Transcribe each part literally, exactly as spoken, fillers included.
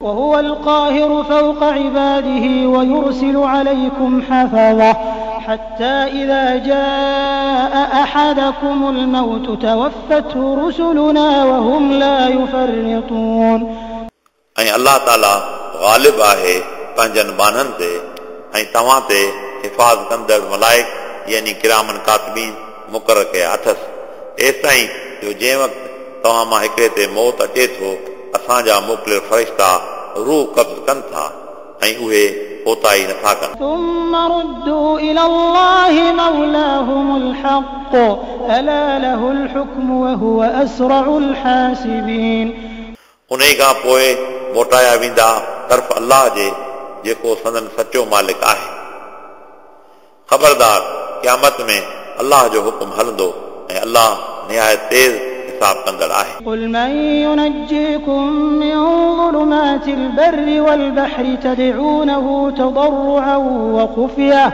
وهو القاهر فوق عباده ويرسل عليكم حفظة حتى إذا جاء أحدكم الموت توفته رسلنا وهم لا يفرطون. ऐं अलाह ताला ग़ालिब आहे पंहिंजनि ॿान्हनि ते ऐं तव्हां ते हिफ़ाज़ कंदड़ मलाइक यानी किरामन कातिबीन मुक़ररु कया अथसि। एसिताईं जो जंहिं वक़्तु तव्हां मां हिकिड़े ते मौत अचे थो असांजा मोकिलियल फ़रिश्ता रूह क़ब्ज़ कनि था ऐं उहे कोताही नथा कनि। ثم ردوا إلى الله مولاهم الحق ألا له الحكم وهو أسرع الحاسبين. उन खां पोइ मोटाया वेंदा तरफ़ अलाह जे जेको संदन सचो मालिक आहे। ख़बरदार क़यामत में अलाह जो हुकुम हलंदो ऐं अलाह निहायत तेज़ हिसाब कंदड़ आहे। قل من ينجيكم من ظلمات البر والبحر تدعونه تضرعا وخفية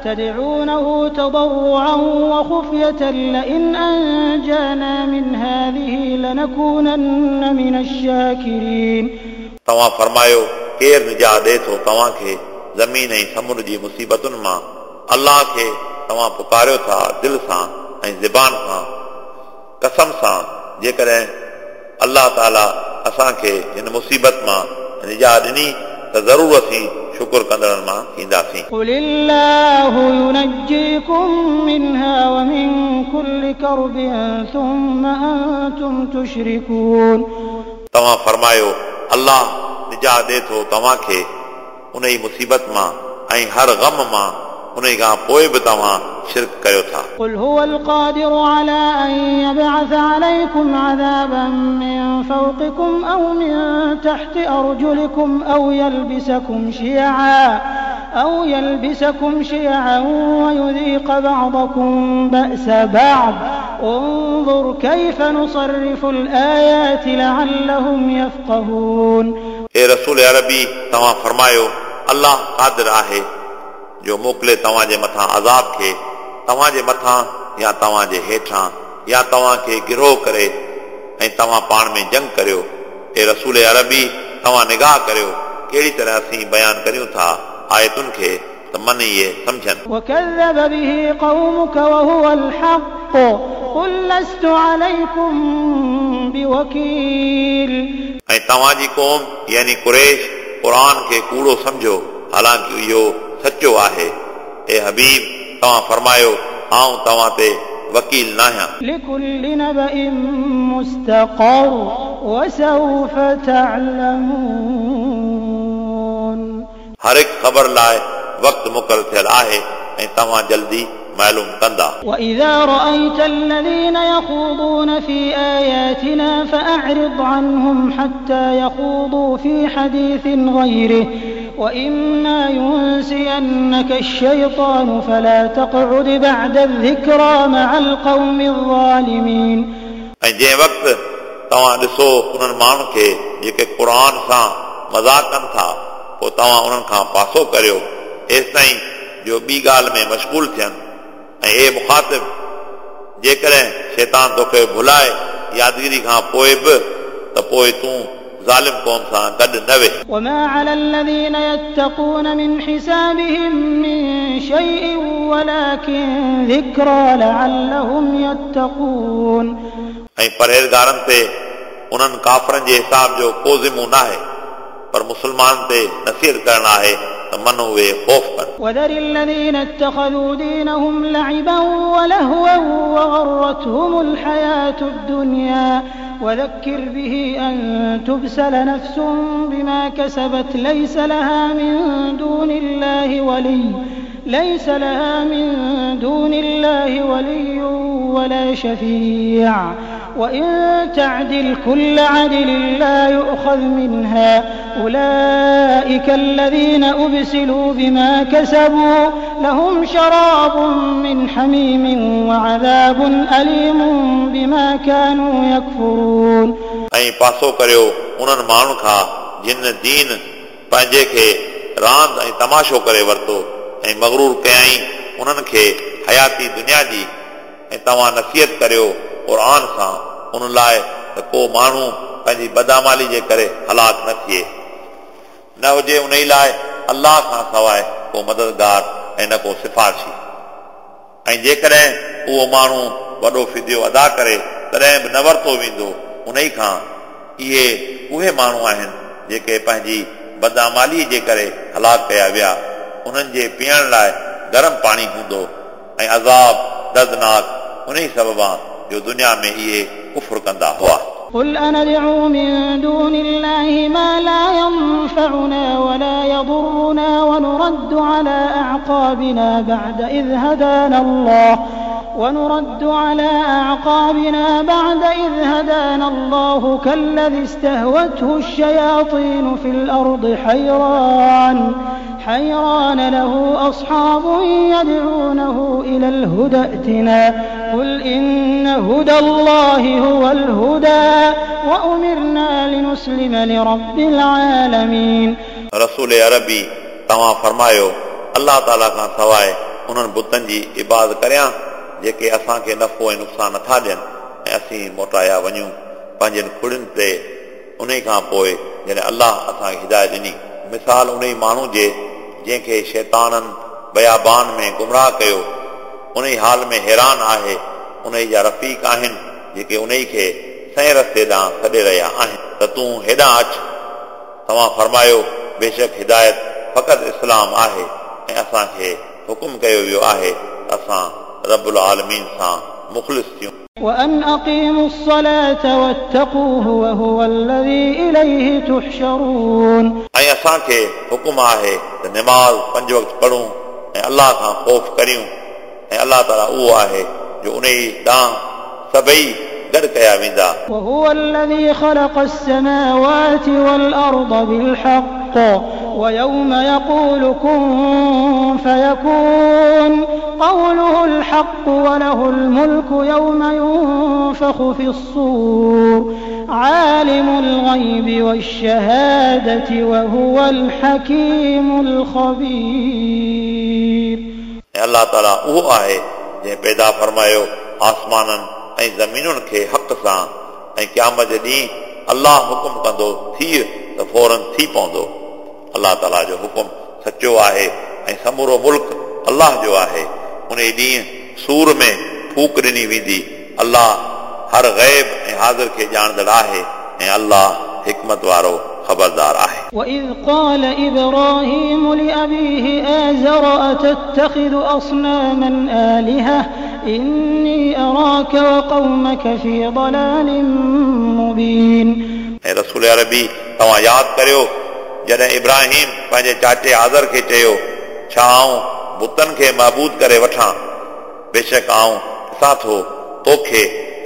تدعونه تضرعا وخفية لئن أنجانا من هذه لنكونن من الشاكرين. तव्हां फरमायो केरु निजात ॾिए थो तव्हांखे ज़मीन ऐं समुंड जी मुसीबतुनि मां? अलाह खे तव्हां पुकारियो था दिलि सां ऐं ज़बान सां कसम सां, जेकॾहिं अलाह ताला असांखे हिन मुसीबत मां निजात ॾिनी त ज़रूरु असीं शुक्र कंदड़नि मां थींदासीं। قل الله ينجيكم منها ومن كل كرب ثم أنتم تشركون. तव्हां फरमायो अलाह निजात ॾिए थो तव्हांखे उन ई मुसीबत मां ऐं हर ग़म मां, उन खां पोइ बि तव्हां शिर्क कयो था। قل هو القادر على أن يبعث عليكم عذابا من فوقكم أو من تحت أرجلكم أو يلبسكم شيعا أو يلبسكم شيعا ويذيق بعضكم بأس بعض انظر كيف نصرف الآيات لعلهم يفقهون. ए रसूल अरबी तव्हां फरमायो अलाह क़ादिर आहे जो मोकिले तव्हांजे मथां अज़ाब खे तव्हांजे मथां या तव्हांजे हेठां या तव्हांखे गिरोह करे ऐं तव्हां पाण में जंग करियो। ए रसूल अरबी तव्हां निगाह करियो कहिड़ी तरह असीं बयानु करियूं था आयतुनि खे त मन इहे सम्झनि। وكذب به قومك وهو الحق قل لست عليكم بوكيل. ऐं तव्हांजी क़ौम यानी कुरैश क़ुर खे कूड़ो सम्झो हालांकि इहो सचो आहे। ए हबीब तव्हां फरमायो आउं तव्हां ते वकील नाहियां। لكل نبأ مستقر وسوف تعلمون. हर हिकु ख़बर लाइ वक़्तु मुक़ररु थियल आहे ऐं तव्हां जल्दी मालूम कंदा। وإذا رأيت الذين يخوضون في آياتنا فأعرض عنهم حتى يخوضوا في حديث غيره وإما ينسينك الشيطان فلا تقعد بعد الذكرى مع القوم الظالمين. ऐं जंहिं वक़्तु तव्हां ॾिसो उन्हनि माण्हुनि खे जेके क़ुर सां मज़ाक कनि था पोइ तव्हां उन्हनि खां पासो करियो एसिताईं जो ॿी ॻाल्हि में मशगूल थियनि। ऐं ए मुखातिब जेकॾहिं शैतान तोखे भुलाए यादगिरी खां पोइ बि त पोइ तूं ज़ालिम क़ौम सां गॾु न वेह। وما على الذين يتقون من حسابهم من شيء ولكن ذكرى لعلهم يتقون. ऐं परहेज़गारनि ते उन्हनि काफ़रनि जे हिसाब जो को ज़िमो न आहे पर मुस्लमान ते नसीहत करणु आहे त मन उहे ख़ौफ़ कनि। وذر الذين اتخذوا دينهم لعبا ولهوا وغرتهم الحياة الدنيا وذكر به أن تبسل نفس بما كسبت ليس لها من دون الله ولي ليس لها من دون الله ولي ولا شفيع وإن تعدل كل عدل لا يؤخذ منها أولئك الذين أبسلوا بما كسبوا لهم شراب من حميم وعذاب أليم بما كانوا يكفرون. ऐं पासो करियो उन्हनि माण्हुनि खां जिन दीन पंहिंजे खे रांदि ऐं तमाशो करे वरितो ऐं मग़रूर कयाईं उन्हनि खे हयाती दुनिया जी ऐं तव्हां नसीहत करियो क़ुर सां उन लाइ त को माण्हू पंहिंजी बदामाली जे करे हलाक न थिए। न हुजे उन लाइ अल्लाह खां सवाइ को मददगार ऐं न को सिफारिशी। ऐं जेकॾहिं उहो माण्हू वॾो फिदियो अदा करे तॾहिं बि न वरितो वेंदो उन खां। इहे उहे माण्हू आहिनि जेके पंहिंजी बदआमालीअ जे करे हलाक कया विया। उन्हनि जे पीअण लाइ गरम पाणी हूंदो ऐं अज़ाब दर्दनाक उन ई सबबा जो दुनिया में इहे कुफ्र कंदा हुआ। قل أندعو من دون الله ما لا ينفعنا ولا يضرنا ونرد على أعقابنا بعد إذ هدانا الله ونرد على أعقابنا بعد إذ هدانا الله كالذي استهوته الشياطين في الأرض حيران حيران له أصحاب يدعونه إلى الهدى ائتنا قل إن هدى الله هو الهدى وأمرنا لنسلم لرب العالمين। रसूल अरबी तव्हां फरमायो, अल्लाह ताला खां सवाइ उन्हनि बुतनि जी इबादत करियां जेके असांखे नफ़ो ऐं नुक़सानु नथा ॾियनि ऐं असीं मोटाया वञूं पंहिंजनि खुड़ियुनि ते उन खां पोइ जॾहिं अल्लाह असांखे हिदायत ॾिनी। मिसाल उन माण्हू जे जंहिंखे शैताननि बयाबान में गुमराह कयो, उन हाल में हैरान आहे। उन जा रफ़ीक आहिनि जेके उन खे सही रस्ते ॾांहुं सॾे रहिया आहिनि त तूं हेॾां अच। तव्हां फरमायो, बेशक हिदायत फ़क़ति इस्लाम आहे ऐं असांखे हुकुम कयो वियो आहे त असां रब्बुल आलमीन सां मुख़लिस थियूं। وأن أقيموا الصلاة واتقوه وهو الذي إليه تحشرون। ऐं असांखे हुकुम आहे त नमाज़ पंज वक़्त पढ़ूं ऐं अल्लाह खां ख़ौफ़ करियूं ऐं अल्लाह ताला उहो आहे जो उन ॾांहुं सभई गॾु कया वेंदा। وهو الذي خلق السماوات والأرض بالحق ويوم يقول كن فيكون قوله الحق وله الملك يوم ينفخ في الصور عالم الغيب والشهادة وهو الحكيم الخبير। अल्लाह ताला उहो आहे जंहिं पैदा फरमायो आसमाननि ऐं ज़मीनुनि खे हक़ सां ऐं क़यामत जे ॾींहुं अल्लाह हुकुम कंदो थी त फ़ौरन थी पवंदो। अल्लाह ताला जो हुकुम सचो आहे ऐं समूरो मुल्क अल्लाह जो आहे। उन ॾींहुं सूर में फूक ॾिनी वेंदी। अल्लाह हर ग़ैब ऐं हाज़िर खे ॼाणंदड़ आहे ऐं अल्लाह हिकमत वारो ख़बरदार आहे। وإذ قال إبراهيم لأبيه آزر أتتخذ أصناما آلهة إني أراك وقومك في ضلال مبين। ऐं रसूल अरबी तव्हां यादि करियो जॾहिं इब्राहिम पंहिंजे चाचे आज़र खे चयो, छा आउं बुतनि खे महबूद करे वठां? बेशक आउं ॾिसां थो तोखे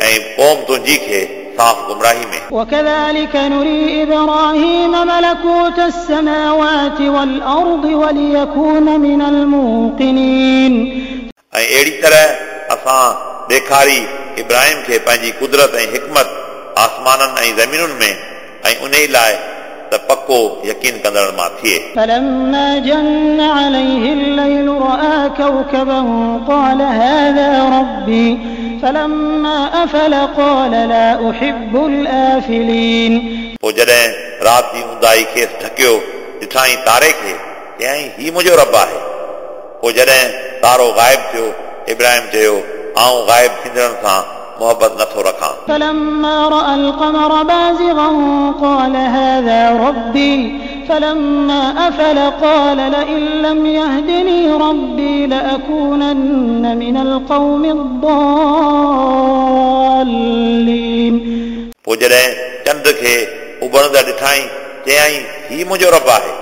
ऐं क़ौम तुंहिंजी खे साफ़ गुमराही में। وكذلك نري إبراهيم ملكوت السماوات والأرض وليكون من الموقنين। ऐं अहिड़ी तरह असां ॾेखारी इब्राहिम खे पंहिंजी कुदरत ऐं हिकमत आसमाननि ऐं ज़मीनुनि में ऐं उन लाइ त पको यकीन कंदड़ मां थिए। فلما جن عليه الليل رأى كوكبا قال هذا ربي فلما أفل قال لا أحب الآفلين। पोइ जॾहिं राति जी ऊंदाही खेसि ढकियो ॾिठाई तारे खे, चयाईं हीउ मुंहिंजो रब आहे। पोइ जॾहिं तारो ग़ाइब थियो, इब्राहिम चयो, आउं ग़ाइब थींदड़नि सां मोहबत नथो रखां। فلما رأى القمر بازغا قال هذا ربي فلما أفل قال لئن لم يهدني ربي لأكونن من القوم الضالين। पोइ जॾहिं चंड खे उभरंदड़ ॾिठाई, चयाईं हीउ मुंहिंजो रब आहे।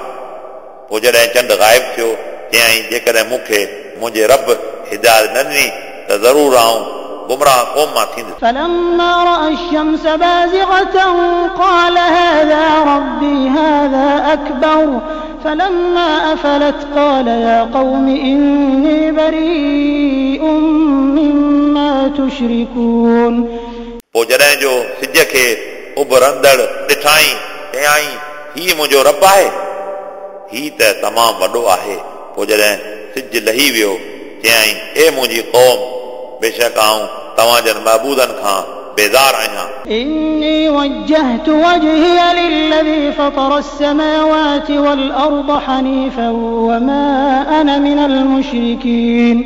पोइ जॾहिं चंड ग़ाइब थियो, चयाईं जेकॾहिं मूंखे मुंहिंजे रब हिदायत न ॾिनी त ज़रूरु आउं गुमराह क़ौम मां थींदुसि। فلما رأى الشمس بازغة قال هذا ربي هذا أكبر فلما أفلت قال يا قوم إني بريء مما تشركون। पोइ जॾहिं जो सिज खे उभरंदड़ ॾिठाई, चयाईं हीउ मुंहिंजो रब आहे, हीउ त तमामु वॾो आहे। पोइ जॾहिं सिज लही वियो, चयाईं ए मुंहिंजी क़ौम, बेशक आउं तव्हां जन महबूदनि खां बेज़ार आहियां। إني وجهت وجهي للذي فطر السماوات والأرض حنيفا وما أنا من المشركين।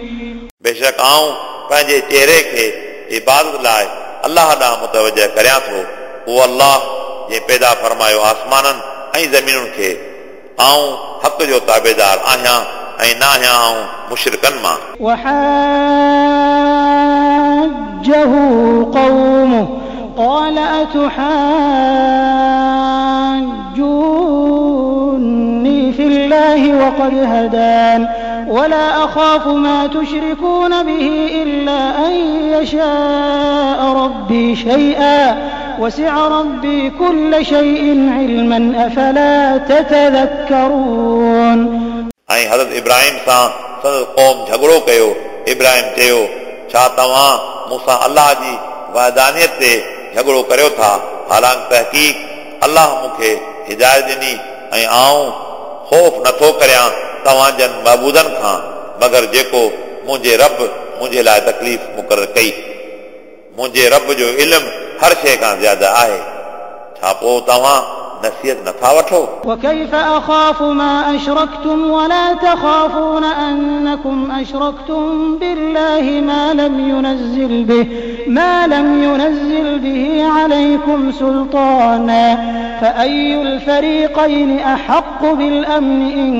बेशक आऊं पंहिंजे चेहरे खे इबादत लाइ अल्लाह ॾांहुं मुतवजह करियां थो। उहो अल्लाह जंहिं पैदा फरमायो आसमाननि ऐं ज़मीनुनि खे। आऊं हक़ जो ताबेदार आहियां ऐं न आहियां आऊं मुशरिकनि मां। وحاجه قومه قال أتحاجوني في الله وقد هدان ولا أخاف ما تشركون به إلا أن يشاء ربي شيئا وسع ربي كل شيء علما أفلا تتذكرون। ऐं हज़रत इब्राहिम सां संदसि क़ौम झगड़ो कयो। इब्राहिम चयो, छा तव्हां मूंसां अल्लाह जी वहदानियत ते झगड़ो करियो था? हालांकि तहक़ीक़ अल्लाह मूंखे हिदायत ॾिनी ऐं आऊं ख़ौफ़ नथो करियां तव्हां जन महबूदनि खां, मगर जेको मुंहिंजे रब मुंहिंजे लाइ तकलीफ़ मुक़ररु कई। मुंहिंजे रब जो इल्मु हर शइ खां ज़्यादा आहे। छा पोइ तव्हां नसीहत नथा वठो? وكيف أخاف ما أشركتم ولا تخافون أنكم أشركتم بالله ما لم ينزل به ما لم ينزل به عليكم سلطانا فأي الفريقين أحق بالأمن إن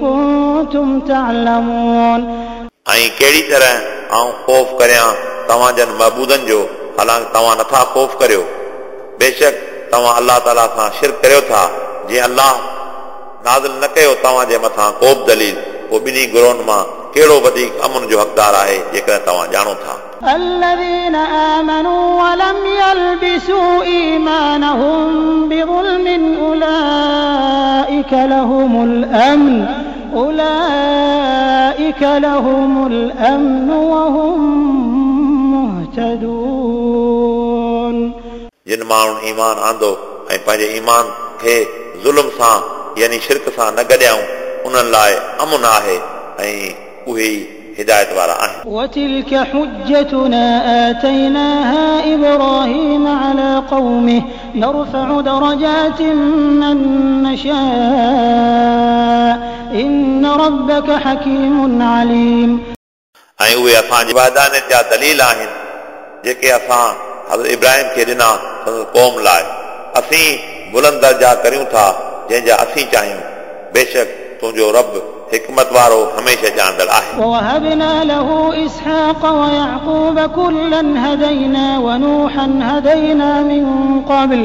كنتم تعلمون। ऐं कहिड़ी तरह आऊं ख़ौफ़ करियां तव्हां जन महबूदनि जो, हालांकि तव्हां नथा ख़ौफ़ करियो। बेशक तव्हां अल्लाह ताला सां शिरक करियो था, जीअं अल्लाह नाज़िल न कयो तव्हांजे मथां को बि दलील। पोइ ॿिन्ही ग्रोहनि मां कहिड़ो वधीक अमन जो हक़दार आहे, जेकॾहिं तव्हां ॼाणो था? الذين آمنوا ولم يلبسوا إيمانهم بظلم أولئك لهم الأمن أولئك لهم الأمن وهم مهتدون। जिन माण्हुनि ईमान आंदो ऐं पंहिंजे ईमान खे ज़ुल्म सां यानी शिरक सां न गॾियाऊं, उन्हनि लाइ अमन आहे ऐं उहे ई हिदायत वारा आहिनि। وتلك حجتنا آتيناها إبراهيم على قومه نرفع درجات من نشاء إن ربك حكيم عليم। ऐं उहे असांजी वहदानियत जा दलील आहिनि जेके असां हज़रत इब्राहिम खे ॾिना संदसि क़ौम लाइ। असीं बुलंद दर्जा करियूं था जंहिंजा असीं चाहियूं। बेशक तुंहिंजो रब हिकमत वारो हमेशह ॼाणंदड़ आहे। ووهبنا له إسحاق ويعقوب كلا هدينا ونوحا هدينا من قبل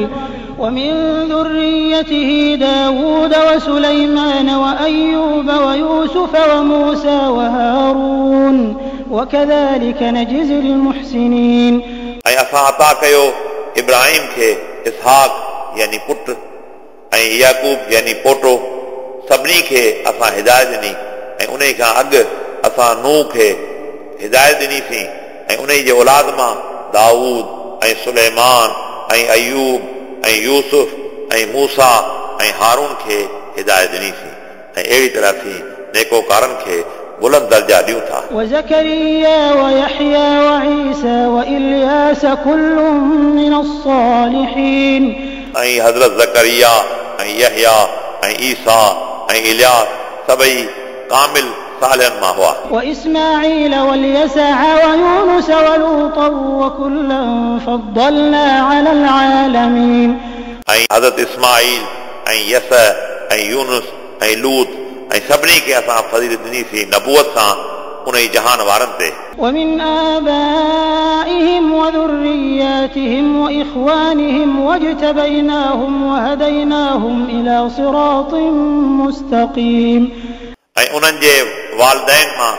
ومن ذريته داود وسليمان وأيوب ويوسف وموسى وهارون وكذلك نجزي المحسنين। ऐं असां अता कयो इब्राहिम खे इसहाक यानी पुट ऐं याकूब यानी पोटो, सभिनी खे असां हिदायत ॾिनी। ऐं उन खां अॻु असां नूह खे हिदायत ॾिनीसीं ऐं उन जे औलाद मां दाऊद ऐं सुलेमान ऐं अयूब ऐं यूसुफ ऐं मूसा ऐं हारून खे हिदायत ॾिनीसीं। ऐं अहिड़ी तरह असीं नेकोकारनि खे बुलंद दर्जा ॾियूं था। وزكريا ويحيى وعيسى وإلياس كل من الصالحين। ऐं हज़रत ज़करिया ऐं यहया ऐं ईसा ऐं इलियास सभई कामिल सालिहनि मां हुआ। وإسماعيل واليسع ويونس ولوطا وكلا فضلنا على العالمين। ऐं हज़रत इस्माईल ऐं यस ऐं यूनुस ऐं लूत ऐं सभिनी खे असां फ़ज़ीलत ॾिनीसीं नबूअत सां उन ई जहान वारनि ते। ومن آبائهم وذرياتهم وإخوانهم واجتبيناهم وهديناهم إلى صراط مستقيم। ऐं उन्हनि जे वालिदैन मां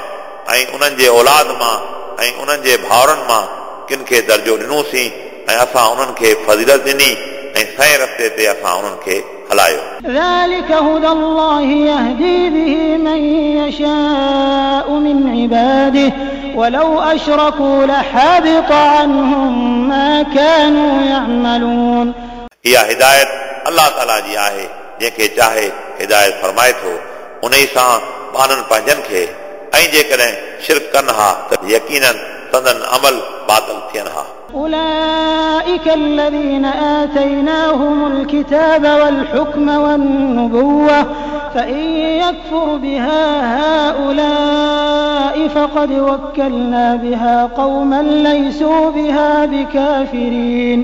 ऐं उन्हनि जे औलाद मां ऐं उन्हनि जे भाउरनि मां किन खे दर्जो ॾिनोसीं ऐं असां उन्हनि खे फ़ज़ीलत ॾिनी ऐं सही रस्ते ते असां उन्हनि खे हलायो। ذلك هدى الله يهدي به من يشاء من عباده ولو أشركوا لحبط عنهم ما كانوا يعملون। इहा हिदायत अल्लाह ताला जी आहे, जंहिंखे चाहे हिदायत फरमाए थो उन ई सां ॿारनि पंहिंजनि खे, ऐं जेकॾहिं शिरक कनि हा त यकीनन संदन अमल बातिल थियनि हा। أولئك الذين آتيناهم الكتاب والحكم والنبوة فإن يكفر بها هؤلاء فقد وكلنا بها قوما ليسوا بها بكافرين.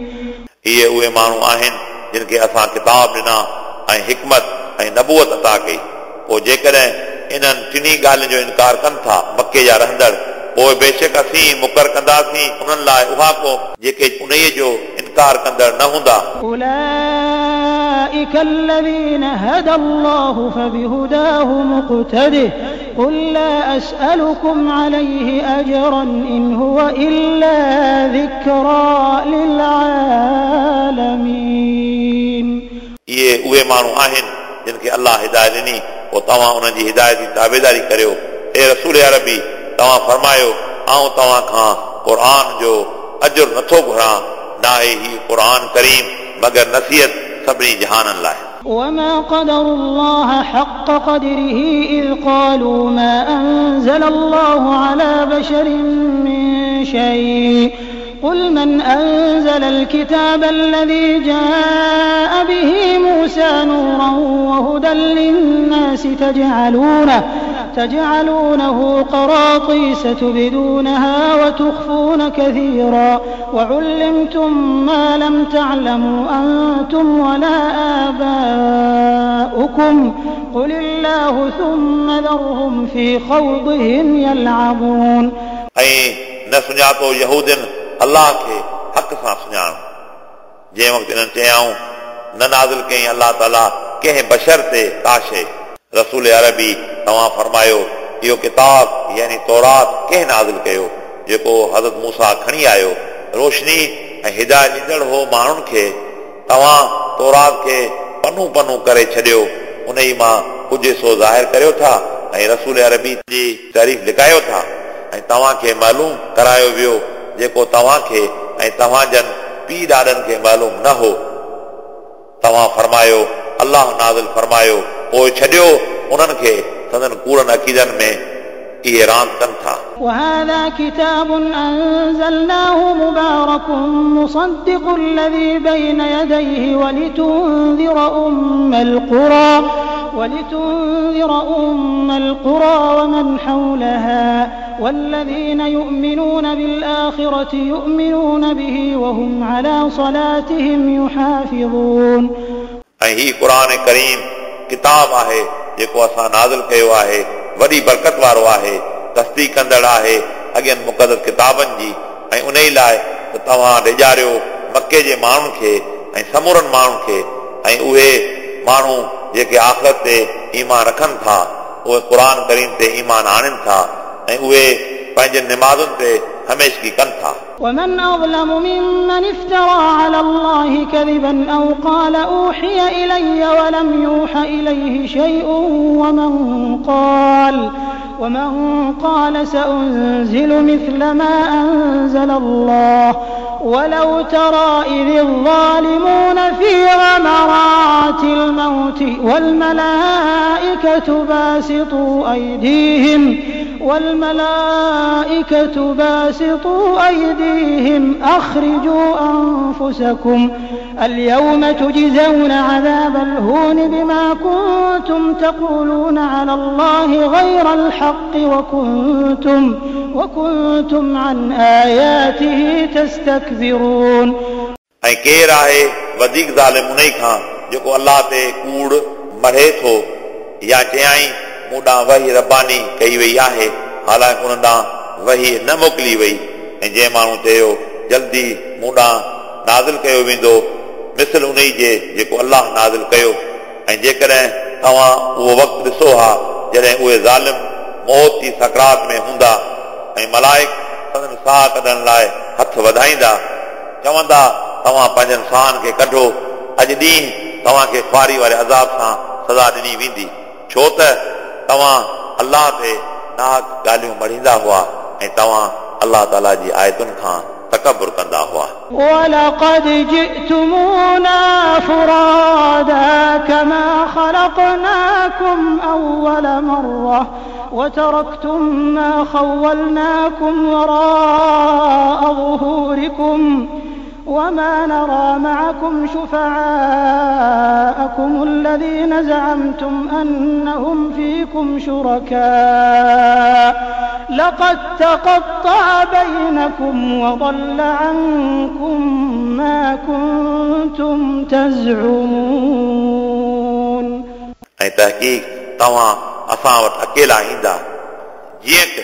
इहे उहे माण्हू आहिनि जिन खे असां किताब ॾिना ऐं हिकमत ऐं नबूअत अता कई। पोइ जेकॾहिं इन्हनि टिन्ही ॻाल्हियुनि जो इनकार कनि था मक्के जा रहंदड़, पोइ बेशक असीं मुकर कंदासीं उन्हनि लाइ उहा क़ौम जेके उन्हीअ जो इनकार कंदड़ न हूंदा। أولئك الذين هدى الله فبهداه مقتده قل لا أسألكم عليه أجرا إن هو إلا ذكرى للعالمين. इहे उहे माण्हू आहिनि जिन खे अलाह हिदायत ॾिनी, पोइ तव्हां उन्हनि जी हिदायत जी ताबेदारी करियो। ए रसूल अरबी, तव्हां फरमायो आउं तव्हां खां क़ुर जो अजुर नथो घुरां, नाहे हीउ क़ुर करीम मगर नसीहत सभिनी जहाननि लाइ। وما قدروا الله حق قدره إذ قالوا ما أنزل الله على بشر من شيء قل من أنزل الكتاب الذي جاء به موسى نورا وهدى للناس تجعلونه تجعلونه قراطيس تبدونها وتخفون كثيرا وعلمتم ما لم تعلموا أنتم ولا آباؤكم قل الله ثم ذرهم في خوضهم يلعبون. ऐं न सुञातो यहूदियुनि अलाह खे हक़ सां सुञाणो, जंहिं वक़्तु इन्हनि चयाऊं न नाज़िल कयईं अलाह ताला कंहिं बशर ते का शइ। रसूल अरबी तव्हां फरमायो इहो किताब यानी तौरात कंहिं नाज़िल कयो जेको हज़रत मूसा खणी आयो, रोशनी ऐं हिदायत ॾींदड़ हो माण्हुनि खे। तव्हां तौरात खे पनू पनू करे छॾियो, उन ई मां कुझु हिसो ज़ाहिर करियो था ऐं रसूल अरबी जी तारीफ़ लिकायो था, ऐं तव्हांखे मालूम करायो वियो जेको तव्हांखे ऐं तव्हांजनि पीउ ॾाॾनि खे मालूम न हो। तव्हां फरमायो अलाह नाज़िल फरमायो, पोइ छॾियो उन्हनि खे संदन कूड़नि अक़ीदनि में इहे रांदि कनि था। وهذا كتاب أنزلناه مبارك مصدق الذي بين يديه ولتنذر أم القرى ولتنذر أم القرى ومن حولها والذين يؤمنون بالآخرة يؤمنون به وهم على صلاتهم يحافظون. ऐं हीउ क़ुर करीम किताब आहे जेको असां नाज़िल कयो आहे, वॾी बरकत वारो आहे, तस्दीक कंदड़ आहे अॻियनि मुक़दस किताबनि जी, ऐं उन ई लाइ त तव्हां ॾेजारियो मक्के जे माण्हुनि खे ऐं समूरनि माण्हुनि खे, ऐं उहे माण्हू जेके आख़िरत ते ईमान रखनि था उहे क़ुर करीम ते ईमान आणनि था ऐं उहे पंहिंजे निमाज़ुनि ते हमेशगी कनि था। ومن أظلم ممن افترى على الله كذبا أو قال أوحي إلي ولم يوح إليه شيء ومن قال ومن قال سأنزل مثل ما أنزل الله ولو ترى إذ الظالمون في غمرات الموت والملائكة باسطوا أيديهم والملائكة باسطوا أيديهم أخرجوا أنفسكم اليوم تجزون عذاب الهون بما كنتم تقولون على الله غير الحق وكنتم وكنتم عن آياته تستكبرون. ऐं केरु आहे वधीक ज़ालिम उन खां जेको अलाह ते कूड़ मढ़े थो या चयाईं मूं ॾांहुं वही रबानी कई वई आहे, हालांकि उन ॾांहुं वही न मोकिली वई। ऐं जंहिं माण्हू चयो जल्दी मूं ॾांहुं नाज़िल कयो वेंदो मिसल उन जे जेको अलाह नाज़िल कयो, ऐं जेकॾहिं तव्हां उहो वक़्तु ॾिसो हा जॾहिं उहे ज़ालिम मौत जी सकरात में हूंदा ऐं मलाइक संदन साह कढण लाइ हथ वधाईंदा, चवंदा तव्हां पंहिंजनि साहनि खे कढो, अॼु ॾींहुं तव्हांखे ख़्वारी वारे अज़ाब सां सज़ा ॾिनी वेंदी, छो त तव्हां अलाह ते नाहक ॻाल्हियूं मढ़ींदा हुआ ऐं तव्हां अलाह ताला जी आयतुनि खां तकबुर कंदा हुआ। वलक़द जि'तुमूना फुरादा कमा खलक़नाकुम अव्वल मर्रा वतरकतुम मा खव्वलनाकुम वराअ ज़ुहूरिकुम वमा नरा मअकुम शुफ़आअकुम अल्लज़ीन ज़अमतुम अन्नहुम फ़ीकुम शुरका लक़द तक़त्तअ बैनकुम वज़ल्ल अन्कुम मा कुंतुम तज़उमून। ऐं तहक़ीक़ तव्हां असां वटि अकेला ईंदा जीअं त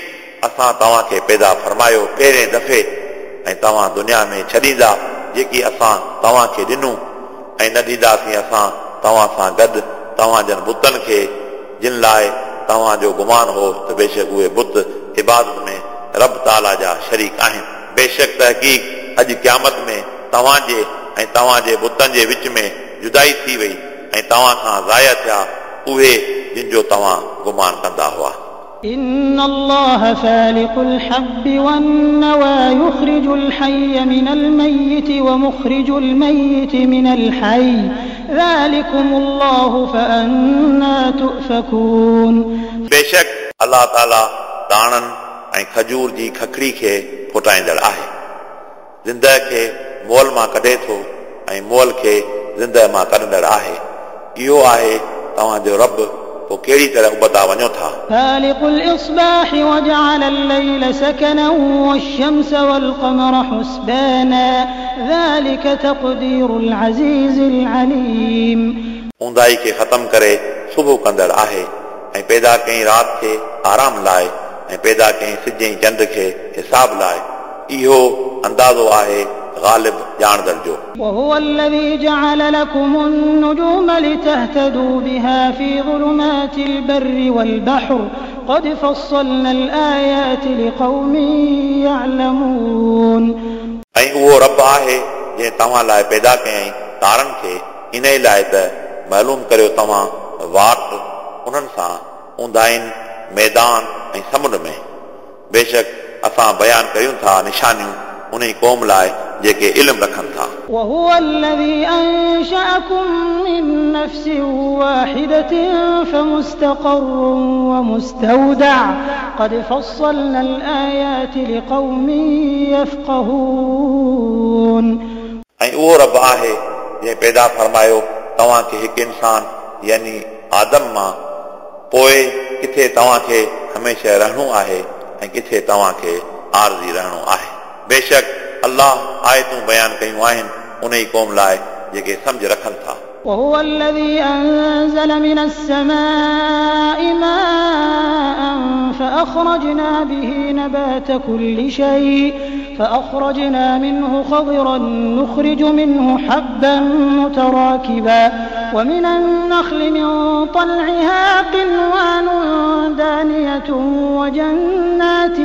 असां तव्हांखे पैदा फरमायो पहिरें दफ़े ऐं तव्हां दुनिया में छॾींदा जेकी असां तव्हांखे ॾिनो ऐं न ॾींदासीं असां तव्हां सां गॾु तव्हां जन बुतनि खे जिन लाइ तव्हांजो गुमान हो त बेशक उहे बुत इबादत में रब ताला जा शरीक आहिनि। बेशक तहक़ीक़ अॼु क़यामत में तव्हांजे ऐं तव्हांजे बुतनि जे विच में जुदाई थी वई ऐं तव्हां खां ज़ाया थिया उहे जिन जो तव्हां गुमान कंदा हुआ। إن الله فالق الحب والنوى يخرج الحي من الميت ومخرج الميت من الحي ذلكم الله فأنا تؤفكون। बेशक अल्लाह ताला दाणनि ऐं खजूर जी खखड़ी खे फुटाईंदड़ आहे, ज़िंदह खे मोल मां कढे थो ऐं मोल खे ज़िंदह मां कढंदड़ आहे। इहो आहे तव्हांजो रब, पोइ कहिड़ी तरह उबता वञो था। فالق الإصباح وجعل الليل سكنا والشمس والقمر حسبانا ذلك تقدير العزيز العليم। ऊंदाई खे ख़तम करे सुबुह कंदड़ आहे ऐं पैदा कयईं राति खे आराम लाइ ऐं पैदा कयईं सिज ऐं चंड खे हिसाब लाइ। इहो अंदाज़ो आहे ग़ालिब ॼाणंदड़ जो। وهو الذي جعل لكم النجوم لتهتدوا بها في ظلمات البر والبحر قد فصلنا الآيات لقوم يعلمون। ऐं उहो रब आहे जंहिं तव्हां लाइ पैदा कयईं तारनि खे इन लाइ त मालूम करियो तव्हां वाट उन्हनि सां ऊंदाइन मैदान ऐं समुंड में। बेशक असां बयान करियूं था निशानियूं उन क़ौम लाइ जेके इल्म रखनि था। وهو الذي أنشأكم من نفس واحدة فمستقر ومستودع قد فصلنا الآيات لقوم يفقهون। ऐं उहो रब आहे जंहिं पैदा फरमायो तव्हांखे हिकु इंसान यानी आदम मां, पोइ किथे तव्हांखे हमेशह रहणो आहे ऐं किथे तव्हांखे आरज़ी रहणो आहे। बेशक अल्लाह आयतूं बयान कयूं आहिनि उन ई क़ौम लाइ जेके सम्झ रखनि था। وهو الذي أنزل من السماء ماء فأخرجنا به نبات كل شيء فأخرجنا منه خضرا نخرج منه حبا متراكبا ومن النخل من طلعها قنوان دانية وجنات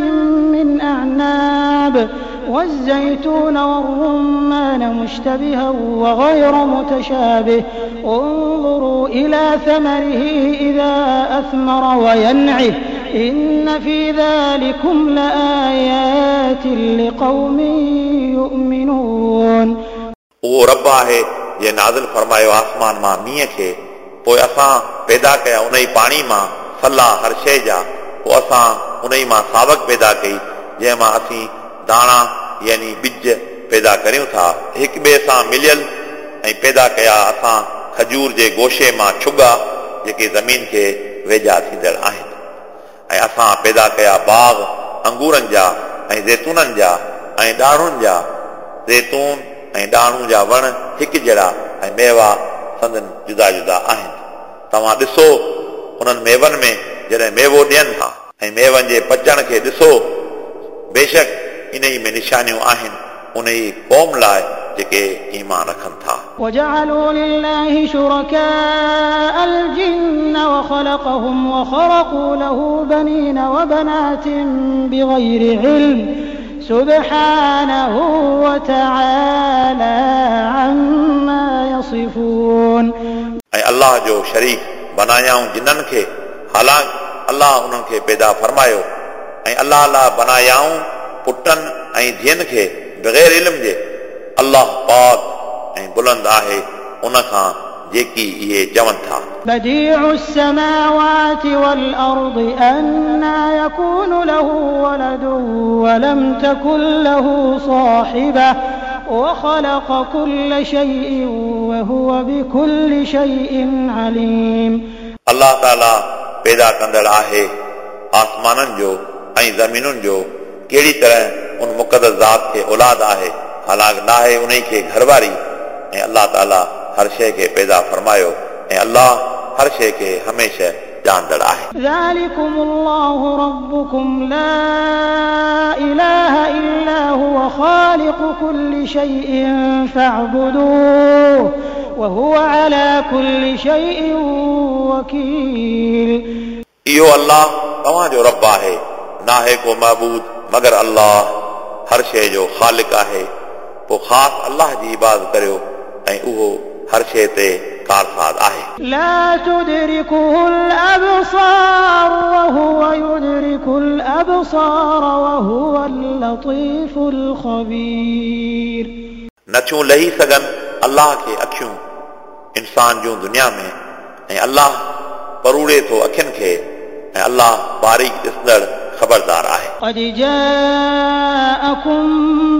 من أعناب والزيتون والرمان مشتبها وغير متشابه انظروا إلى ثمره إذا أثمر وينعه إن في ذلكم لآيات لقوم يؤمنون. उहो रब आहे जंहिं नाज़िल फरमायो आसमान मां मींहं खे, पोइ असां पैदा कया उन ई पाणी मां सला हर शइ जा, पोइ असां उन ई मां सावक पैदा कई जंहिं मां असीं दाणा यानी बिज पैदा करियूं था हिक ॿिए सां मिलियल, ऐं पैदा कया असां खजूर जे गोशे मां छुगा जेके ज़मीन खे वेझा थींदड़ आहिनि, ऐं असां पैदा कया बाग़ अंगूरनि जा ऐं ज़ैतूननि जा ऐं ॾाणुनि जा। ज़ैतून ऐं ॾाणू जा वण हिकु जहिड़ा ऐं मेवा संदन जुदा जुदा आहिनि। तव्हां ॾिसो उन्हनि मेवनि में जॾहिं मेवो ॾियनि था ऐं मेवनि जे पचण खे ॾिसो, बेशक इन ई में निशानियूं आहिनि उन ई क़ौम लाइ जेके ईमान रखनि था। وجعلوا لله شركاء الجن وخلقهم وخرقوا له بنين وبنات بغير علم سبحانه وتعالى عما يصفون. ऐं अल्लाह जो शरीक बनायाऊं जिन्ननि खे, हालांकि अल्लाह उन्हनि खे पैदा फरमायो, ऐं अल्लाह लाइ बनायाऊं पुटनि ऐं धीअनि खे बग़ैर इल्म जे। अल्लाह पाक ऐं बुलंद आहे उन खां जेकी इहे चवनि था। بديع السماوات والأرض أنى يكون له ولد ولم تكن له صاحبة وخلق كل شيء وهو بكل شيء عليم। अल्लाह ताला पैदा कंदड़ आहे आसमाननि जो ऐं ज़मीनुनि जो, कहिड़ी तरह उन मुक़द्दस ज़ात खे औलाद आहे, हालांकि नाहे उन खे घरवारी। ऐं अल्लाह ताला हर शइ खे पैदा फरमायो ऐं अल्लाह हर शइ खे हमेशह ॼाणंदड़ आहे। ذلكم الله ربكم لا إله إلا هو خالق كل شيء فاعبدوه وهو على كل شيء وكيل। इहो अल्लाह तव्हांजो रब आहे, नाहे को महबूद मगर अल्लाह, हर शइ जो ख़ालिक आहे। पोइ ख़ासि अल्लाह जी इबादत करियो ऐं उहो हर शइ ते कारसाज़ आहे। لا تدركه الأبصار وهو يدرك الأبصار وهو اللطيف الخبير। नथियूं लही सघनि अल्लाह खे अखियूं इंसान जूं दुनिया में, ऐं अल्लाह परूड़े थो अखियुनि खे, ऐं अल्लाह बारीक ॾिसंदड़ ख़बरदार आहे। قد جاءكم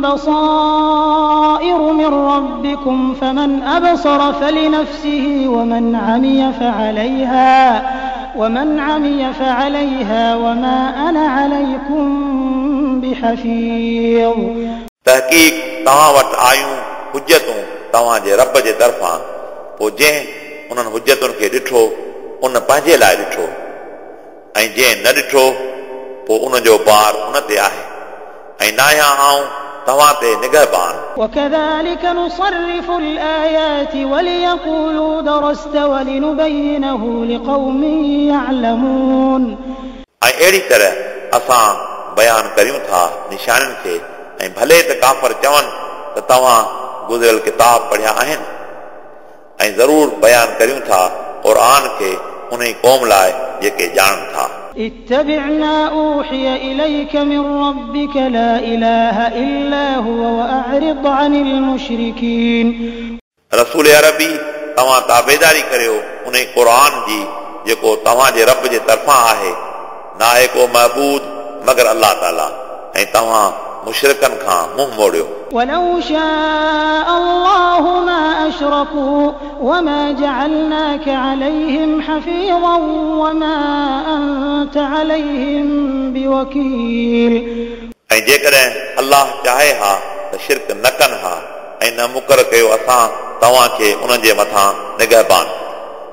بصائر من ربكم فمن أبصر فلنفسه ومن عمي فعليها ومن عمي فعليها وما أنا عليكم بحفيظ। तहक़ीक़ तव्हां वटि आयूं हुजतूं तव्हांजे रब जे तरफ़ां, पोइ जंहिं उन्हनि हुजतुनि खे ॾिठो उन पंहिंजे लाइ ॾिठो, ऐं जंहिं न ॾिठो पोइ उनजो बार उन ते आहे, ऐं न आहियां आउं तव्हां ते निगहबान। وكذلك نصرف الآيات وليقولوا درست ولنبينه لقوم يعلمون। ऐं अहिड़ी तरह असां बयानु करियूं था निशानियुनि खे, ऐं भले त काफ़र चवनि त तव्हां गुज़िरियल किताब पढ़िया आहिनि, ऐं ज़रूर बयानु करियूं था क़ुर खे उन क़ौम लाइ जेके ॼाणनि था। اتبع ما أوحي إليك من ربك لا إله إلا هو وأعرض عن المشركين। रसूल अरबी तव्हां ताबेदारी करियो उन क़ुर जी जेको तव्हांजे रब जे तरफ़ां आहे, नाहे को महबूद मगर अल्लाह ताला, ऐं तव्हां मुशरिकनि खां मुंहुं मोड़ियो। ولو شاء الله ما أشركوا وما جعلناك عليهم حفيظا وما أنت عليهم بوكيل। ऐं जेकॾहिं अल्लाह चाहे हा त शिरक न कनि हा, ऐं न मुक़ररु कयो असां तव्हांखे उन्हनि जे मथां निगहबान,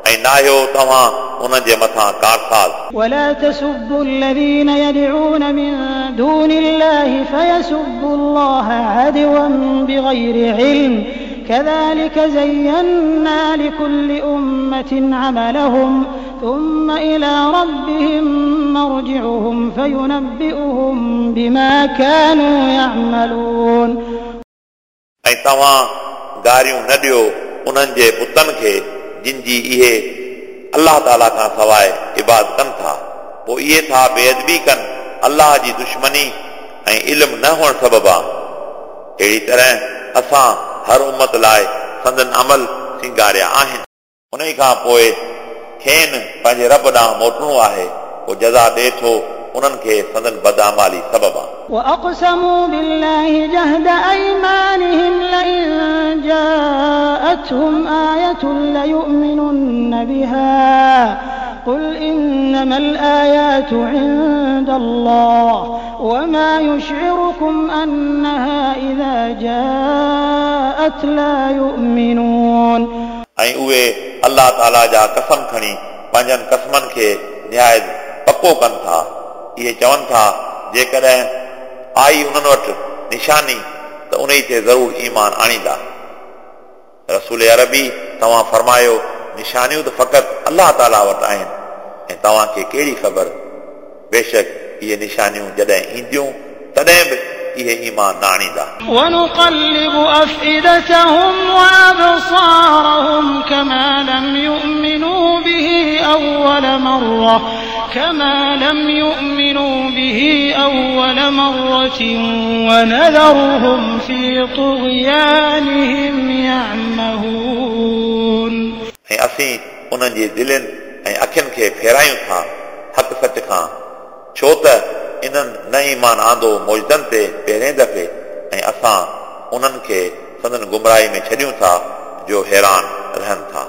ऐं न आहियो तव्हां उन्हनि जे मथां कारसाज़। ولا تسبوا الذين يدعون من دون الله فيسبوا الله عدوا بغير علم كذلك زينا لكل أمة عملهم ثم إلى ربهم مرجعهم فينبئهم بما كانوا يعملون। ऐं तव्हां गारियूं न ॾियो उन्हनि जे बुतनि खे जिन जी इहे अल्लाह ताला खां सवाइ इबादत कनि था, पोइ इहे था बेअदबी कनि अल्लाह जी दुश्मनी ऐं इल्मु न हुअण सबबा। अहिड़ी तरह असां हर उम्मत लाइ संदन अमल सिंगारिया आहिनि। उन खां पोइ खेनि पंहिंजे रब ॾांहुं मोटणो आहे, पोइ जज़ा ॾिए थो उन्हनि खे संदन बदआमाली सबबा। وأقسموا بالله جهد أيمانهم لئن جاءتهم آية ليؤمنن بها قل إنما الآيات عند الله وما يشعركم أنها إذا جاءت لا يؤمنون। ऐं उहे अल्लाह ताला जा कसम खणी पंहिंजनि कसमनि खे निहायत पको कनि था। इहे चवनि था जेकॾहिं आई उन्हनि वटि निशानी त उन ते ज़रूर ईमान आणींदा। रसूल अरबी तव्हां फरमायो निशानियूं त फ़क़ति अल्लाह ताला वटि आहिनि, ऐं तव्हांखे कहिड़ी ख़बर, बेशक इहे निशानियूं जॾहिं ईंदियूं तॾहिं बि इहे ईमान न आणींदा। ونقلب أفئدتهم وأبصارهم كما لم يؤمنوا به أول مرة كما لم يؤمنوا به أول مرة ونذرهم في طغيانهم يعمهون. ऐं असीं उन्हनि जी दिलनि ऐं अखियुनि खे फेरायूं था हक़ सच खां, छो त इन्हनि न ईमान आंदो मौजदनि ते पहिरें दफ़े, ऐं असां उन्हनि खे संदन गुमराही में छॾियूं था जो हैरान रहनि था।